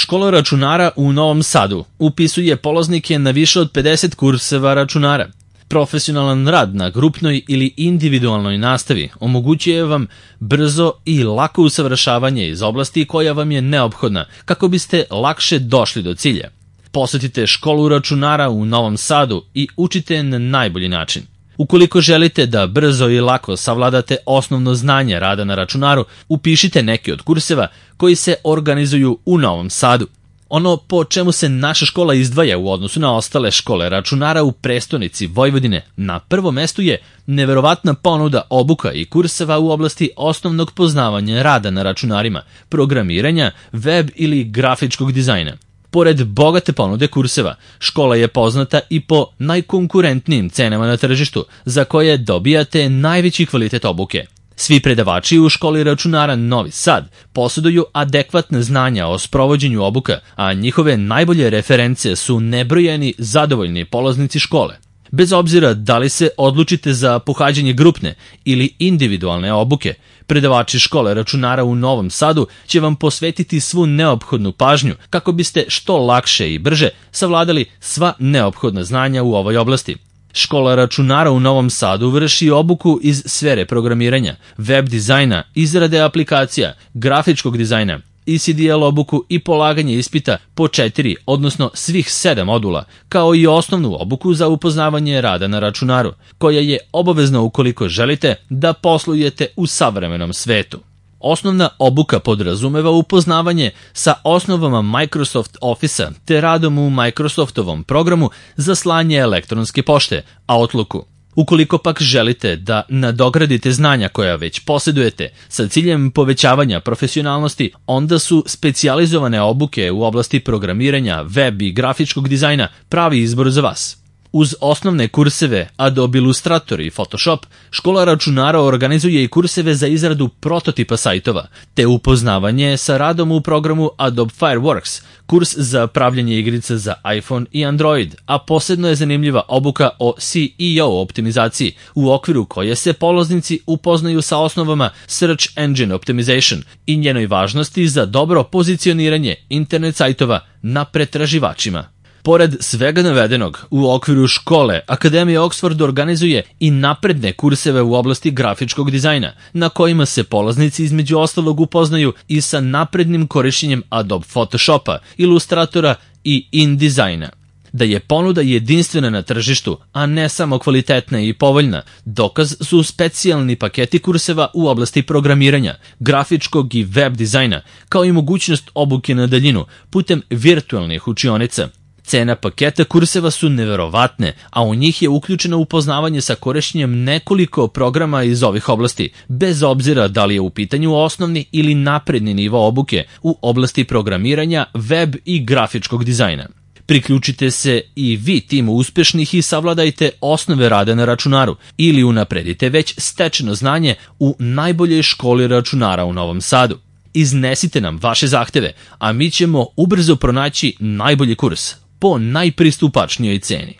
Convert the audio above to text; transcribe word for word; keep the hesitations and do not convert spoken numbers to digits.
Škola računara u Novom Sadu upisuje polaznike na više od pedeset kurseva računara. Profesionalan rad na grupnoj ili individualnoj nastavi omogućuje vam brzo i lako usavršavanje iz oblasti koja vam je neophodna kako biste lakše došli do cilja. Posetite školu računara u Novom Sadu i učite na najbolji način. Ukoliko želite da brzo i lako savladate osnovno znanje rada na računaru, upišite neki od kurseva koji se organizuju u Novom Sadu. Ono po čemu se naša škola izdvaja u odnosu na ostale škole računara u prestonici Vojvodine na prvom mestu je neverovatna ponuda obuka i kurseva u oblasti osnovnog poznavanja rada na računarima, programiranja, web ili grafičkog dizajna. Pored bogate ponude kurseva, škola je poznata i po najkonkurentnijim cenama na tržištu, za koje dobijate najveći kvalitet obuke. Svi predavači u školi računara Novi Sad posjeduju adekvatne znanja o sprovođenju obuka, a njihove najbolje reference su nebrojeni zadovoljni polaznici škole. Bez obzira da li se odlučite za pohađanje grupne ili individualne obuke, predavači škole računara u Novom Sadu će vam posvetiti svu neophodnu pažnju kako biste što lakše i brže savladali sva neophodna znanja u ovoj oblasti. Škola računara u Novom Sadu vrši obuku iz sfere programiranja, web dizajna, izrade aplikacija, grafičkog dizajna, E C D L obuku i polaganje ispita po četiri, odnosno svih sedam modula, kao i osnovnu obuku za upoznavanje rada na računaru, koja je obavezna ukoliko želite da poslujete u savremenom svetu. Osnovna obuka podrazumeva upoznavanje sa osnovama Microsoft Office-a te radom u Microsoftovom programu za slanje elektronske pošte, Outlooku. Ukoliko pak želite da nadogradite znanja koja već posjedujete sa ciljem povećavanja profesionalnosti, onda su specijalizovane obuke u oblasti programiranja, web i grafičkog dizajna pravi izbor za vas. Uz osnovne kurseve Adobe Illustrator i Photoshop, škola računara organizuje i kurseve za izradu prototipa sajtova, te upoznavanje sa radom u programu Adobe Fireworks, kurs za pravljanje igrica za iPhone i Android, a posebno je zanimljiva obuka o S E O optimizaciji, u okviru koje se polaznici upoznaju sa osnovama Search Engine Optimization i njenoj važnosti za dobro pozicioniranje internet sajtova na pretraživačima. Pored svega navedenog, u okviru škole Akademija Oxford organizuje i napredne kurseve u oblasti grafičkog dizajna, na kojima se polaznici između ostalog upoznaju i sa naprednim korišćenjem Adobe Photoshopa, Illustratora i InDesigna. Da je ponuda jedinstvena na tržištu, a ne samo kvalitetna i povoljna, dokaz su specijalni paketi kurseva u oblasti programiranja, grafičkog i web dizajna, kao i mogućnost obuke na daljinu putem virtualnih učionica. Cena paketa kurseva su neverovatne, a u njih je uključeno upoznavanje sa korišćenjem nekoliko programa iz ovih oblasti, bez obzira da li je u pitanju osnovni ili napredni nivo obuke u oblasti programiranja, web i grafičkog dizajna. Priključite se i vi timu uspešnih i savladajte osnove rada na računaru ili unapredite već stečeno znanje u najboljoj školi računara u Novom Sadu. Iznesite nam vaše zahteve, a mi ćemo ubrzo pronaći najbolji kurs po najpristupačnijoj ceni.